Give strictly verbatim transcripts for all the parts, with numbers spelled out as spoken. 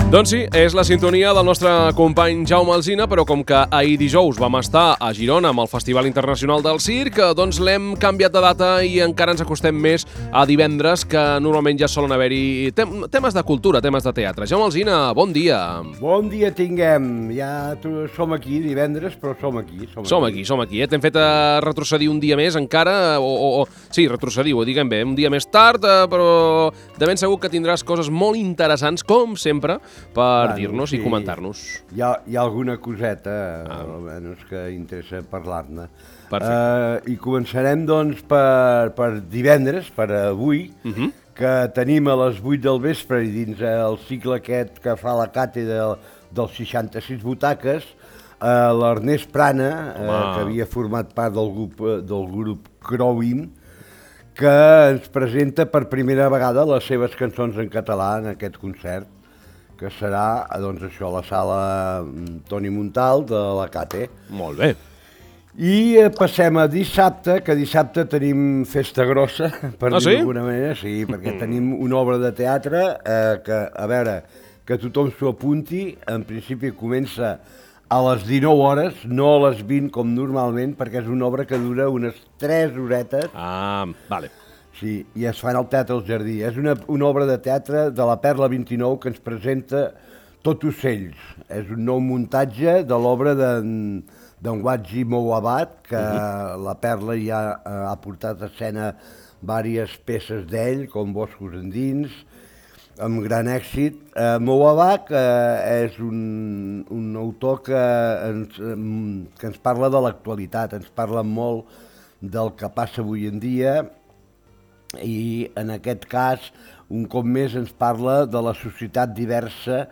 Doncs sí, és la sintonia del nostre company Jaume Alsina, però com que ahir dijous vam estar a Girona amb el Festival Internacional del Circ, doncs l'hem canviat de data i encara ens acostem més a divendres, que normalment ja solen haver-hi tem temes de cultura, temes de teatre. Jaume Alsina, bon dia. Bon dia tinguem. Ja som aquí divendres, però som aquí. Som, som aquí, som aquí. Eh? T'hem fet a retrocedir un dia més encara, o, o, o sí, retrocedir, ho diguem bé, un dia més tard, eh, però de ben segur que tindràs coses molt interessants, com sempre, per bueno, dir-nos sí, i comentar-nos. Hi ha, hi ha alguna coseta, ah. almenys, que interessa parlar-ne. Uh, I començarem, doncs, per, per divendres, per avui, uh -huh. que tenim a les vuit del vespre, i dins el cicle aquest que fa la càtedra dels seixanta-sis butaques, uh, l'Ernest Prana, uh, que havia format part del grup, del grup Crowin, que ens presenta per primera vegada les seves cançons en català en aquest concert, que serà, doncs això, a la sala Toni Montal de la Cate. Molt bé. I eh, passem a dissabte, que dissabte tenim festa grossa, per ah, dir-ho sí? d'alguna manera, sí, perquè mm. tenim una obra de teatre eh, que, a veure, que tothom s'ho apunti, en principi comença a les dinou hores, no a les vint com normalment, perquè és una obra que dura unes tres horetes. Ah, vale. Sí, i es fa al Teatre del Jardí. És una, una obra de teatre de la Perla vint-i-nou que ens presenta Tot ocells. És un nou muntatge de l'obra d'en Watji Mouabat, que uh-huh. la Perla ja ha portat a escena diverses peces d'ell, com Boscos endins, amb gran èxit. Uh, Mouabat uh, és un, un autor que ens, um, que ens parla de l'actualitat, ens parla molt del que passa avui en dia, i en aquest cas, un cop més, ens parla de la societat diversa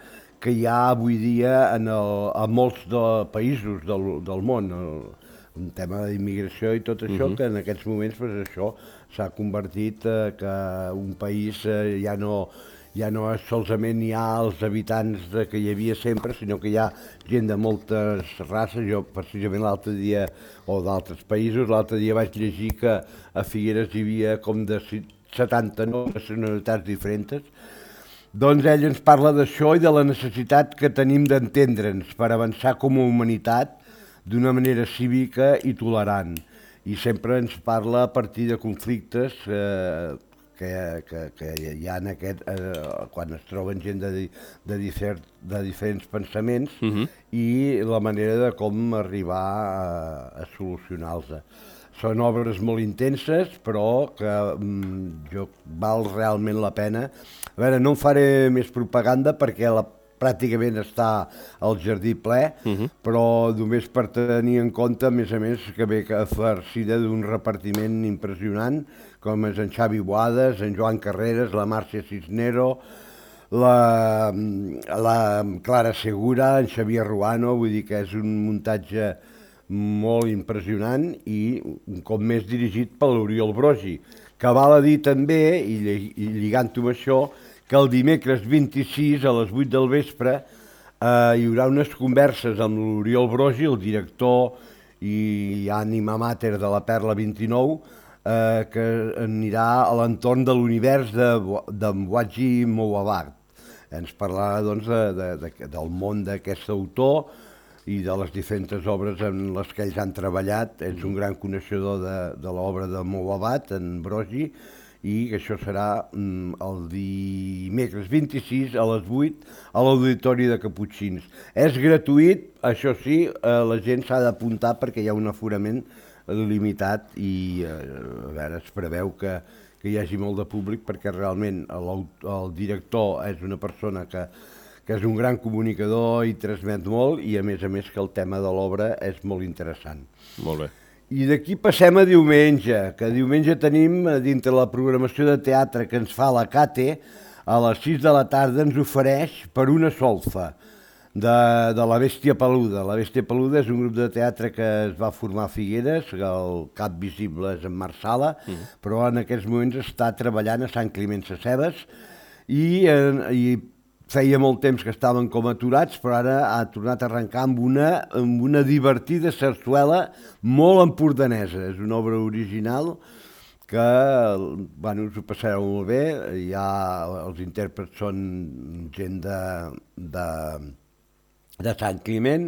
que hi ha avui dia en el, a molts de països del, del món. El, un tema d'immigració i tot això, uh-huh. que en aquests moments pues, això s'ha convertit eh, que un país eh, ja no... ja no és solament hi ha els habitants de, que hi havia sempre, sinó que hi ha gent de moltes races. Jo, precisament l'altre dia, o d'altres països, l'altre dia vaig llegir que a Figueres hi havia com de setanta-nou nacionalitats diferents. Doncs ell ens parla d'això i de la necessitat que tenim d'entendre'ns per avançar com a humanitat d'una manera cívica i tolerant. I sempre ens parla a partir de conflictes eh, Que, que, que hi ha en aquest, eh, quan es troben gent de, de, difer, de diferents pensaments uh-huh. i la manera de com arribar a, a solucionar-los. Són obres molt intenses, però que mm, jo, val realment la pena. A veure, no en faré més propaganda perquè la, pràcticament està al jardí ple, uh-huh. però només per tenir en compte, a més a més, que ve farcida d'un repartiment impressionant, com és en Xavi Boades, en Joan Carreras, la Màrcia Cisnero, la, la Clara Segura, en Xavier Ruano, vull dir que és un muntatge molt impressionant i un cop més dirigit per l'Oriol Brogi, que val a dir també, i, i lligant-ho amb això, que el dimecres vint-i-sis a les vuit del vespre eh, hi haurà unes converses amb l'Oriol Brogi, el director i ànima mater de la Perla vint-i-nou, Eh, que anirà a l'entorn de l'univers d'en Watji Mouabat. Ens parlarà doncs, de, de, de, del món d'aquest autor i de les diferents obres en les que ells han treballat. És un gran coneixedor de, de l'obra de Mouabat, en Brogi, i que això serà mm, el dimecres vint-i-sis a les vuit a l'Auditori de Caputxins. És gratuït, això sí, eh, la gent s'ha d'apuntar perquè hi ha un aforament limitat i eh, a veure, es preveu que, que hi hagi molt de públic perquè realment el, el director és una persona que, que és un gran comunicador i transmet molt i a més a més que el tema de l'obra és molt interessant. Molt bé. I d'aquí passem a diumenge, que diumenge tenim dintre la programació de teatre que ens fa la Cate, a les sis de la tarda ens ofereix Per una solfa, De, de La Bèstia Peluda. La Bèstia Peluda és un grup de teatre que es va formar a Figueres, el cap visible és en Marc Sala, mm. però en aquests moments està treballant a Sant Climent Sescebes i, eh, i feia molt temps que estaven com aturats, però ara ha tornat a arrencar amb una, amb una divertida sarsuela molt empordanesa. És una obra original que bueno, us ho passareu molt bé. Hi ha, els intèrprets són gent de, de, de Sant Climent,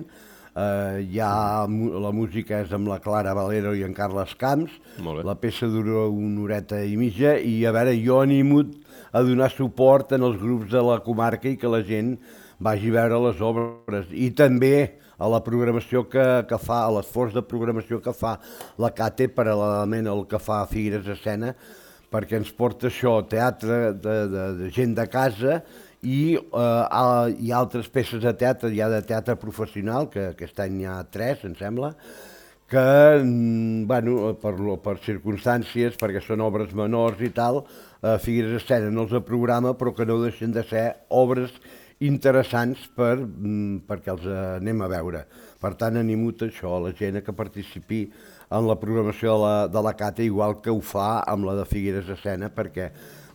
eh, hi ha, la música és amb la Clara Valero i en Carles Camps, la peça dura una horeta i mitja, i a veure, jo animo a donar suport en els grups de la comarca i que la gent vagi a veure les obres, i també a la programació que, que fa, a l'esforç de programació que fa la Cate paral·lelament al que fa Figueres Escena, perquè ens porta això, teatre de, de, de gent de casa, i eh, hi ha altres peces de teatre, hi ha de teatre professional, que aquest any hi ha tres, em sembla, que, bueno, per, per circumstàncies, perquè són obres menors i tal, eh, Figueres Escena no els programa, però que no deixen de ser obres interessants per, perquè els anem a veure. Per tant, animo a això, a la gent que participi en la programació de la, de la Cate, igual que ho fa amb la de Figueres Escena, perquè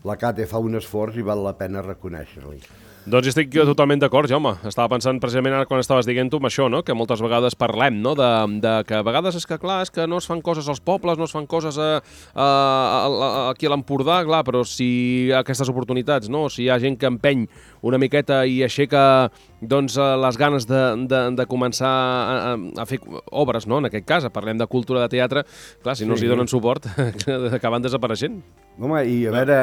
la Cate fa un esforç i val la pena reconèixer-li. Doncs estic totalment d'acord, Jaume. Estava pensant precisament ara quan estaves dient-ho amb això, no? Que moltes vegades parlem, no? De, de que a vegades és que, clar, és que no es fan coses als pobles, no es fan coses a, a, a, aquí a l'Empordà, clar, però si hi ha aquestes oportunitats, no? Si hi ha gent que empeny una miqueta i aixeca doncs, les ganes de, de, de començar a, a fer obres, no? En aquest cas, parlem de cultura de teatre, clar, si no sí. els hi donen suport, acaben desapareixent. Home, i a veure,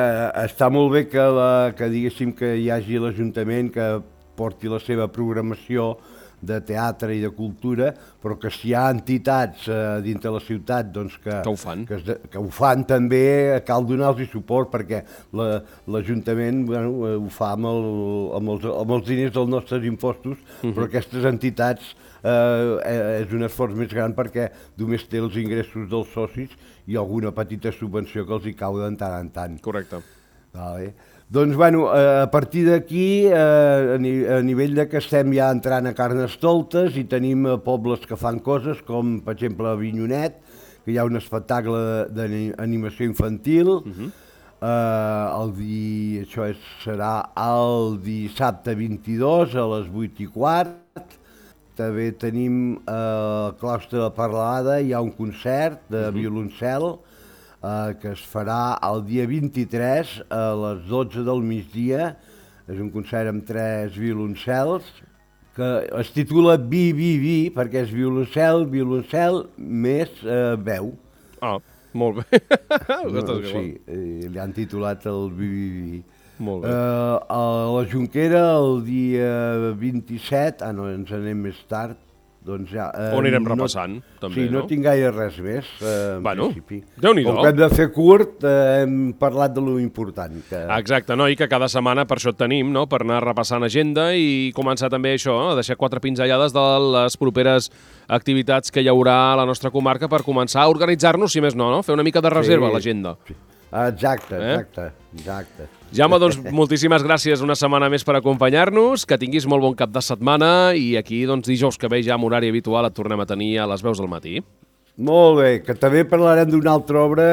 està molt bé que, la, que diguéssim que hi hagi l'Ajuntament que porti la seva programació de teatre i de cultura, però que si hi ha entitats eh, dintre la ciutat doncs, que, que, ho fan. Que, que ho fan també, cal donar-los suport, perquè l'Ajuntament la, bueno, ho fa amb, el, amb, els, amb els diners dels nostres impostos, uh-huh. però aquestes entitats eh, és un esforç més gran perquè només té els ingressos dels socis i alguna petita subvenció que els hi cau de tant en tant. Correcte. Vale. Doncs, bueno, a partir d'aquí, a nivell de que estem ja entrant a Carnestoltes i tenim pobles que fan coses, com, per exemple, a Avinyonet, que hi ha un espectacle d'animació infantil. Uh-huh. uh, el di... Això és, serà el dissabte vint-i-dos a les vuit i quart. També tenim al claustre de Paralada, hi ha un concert de uh-huh. violoncel, Uh, que es farà el dia vint-i-tres a les dotze del migdia. És un concert amb tres violoncels que es titula Vi, Vi, Vi, perquè és violoncel, violoncel més uh, veu. Ah, molt bé. No, sí, li han titulat el Vi, Vi, Vi. Molt bé. Uh, a la Jonquera el dia vint-i-set, ah no, ens anem més tard, doncs ja... Eh, On anirem repassant, no, també, sí, no? Sí, no tinc gaire res més, eh, en bueno, principi. Déu-n'hi-do. Com que hem de fer curt, eh, hem parlat de lo important. Que... Exacte, no? I que cada setmana per això et tenim, no? Per anar repassant agenda i començar també això, a deixar quatre pinzellades de les properes activitats que hi haurà a la nostra comarca per començar a organitzar-nos, si més no, no? Fer una mica de reserva sí, a l'agenda. Sí. Exacte, exacte, eh? exacte. Jaume, doncs, moltíssimes gràcies una setmana més per acompanyar-nos, que tinguis molt bon cap de setmana i aquí, doncs, dijous que ve ja amb horari habitual et tornem a tenir a les veus del matí. Molt bé, que també parlarem d'una altra obra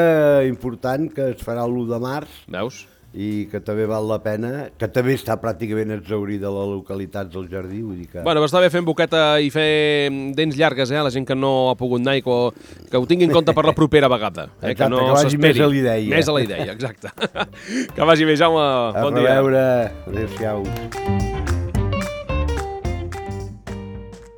important que es farà l'u de març. Veus? I que també val la pena, que també està pràcticament exhaurida a les localitats del jardí, vull dir que... Bueno, està bé fer boqueta i fer dents llargues, eh, a la gent que no ha pogut anar i que, que ho tingui en compte per la propera vegada. Eh, exacte, que, no que vagi més a l'idea. Més a la idea, exacte. Que vagi bé, Jaume. Bon dia. A reveure. Adéu-siau.